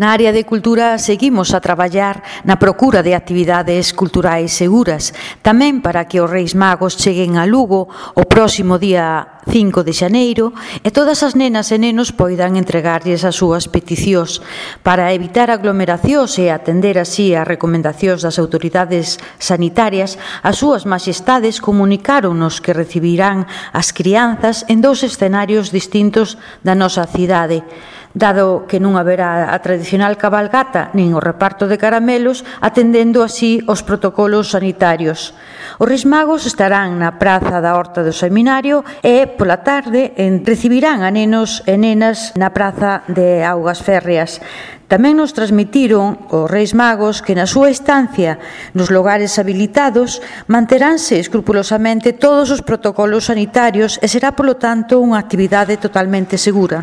Na área de cultura seguimos a traballar na procura de actividades culturais seguras, tamén para que os Reis Magos cheguen a Lugo o próximo día 5 de xaneiro e todas as nenas e nenos poidan entregarlles as súas peticións. Para evitar aglomeracións e atender así as recomendacións das autoridades sanitarias, as súas majestades comunicáronos que recibirán as crianzas en 2 escenarios distintos da nosa cidade. Dado que non haberá a tradicional cabalgata nin o reparto de caramelos, atendendo así os protocolos sanitarios. Os Reis Magos estarán na praza da Horta do Seminario e, pola tarde, recibirán a nenos e nenas na praza de Augas Férreas. Tamén nos transmitiron os Reis Magos que na súa estancia nos lugares habilitados manteránse escrupulosamente todos os protocolos sanitarios e será, polo tanto, unha actividade totalmente segura.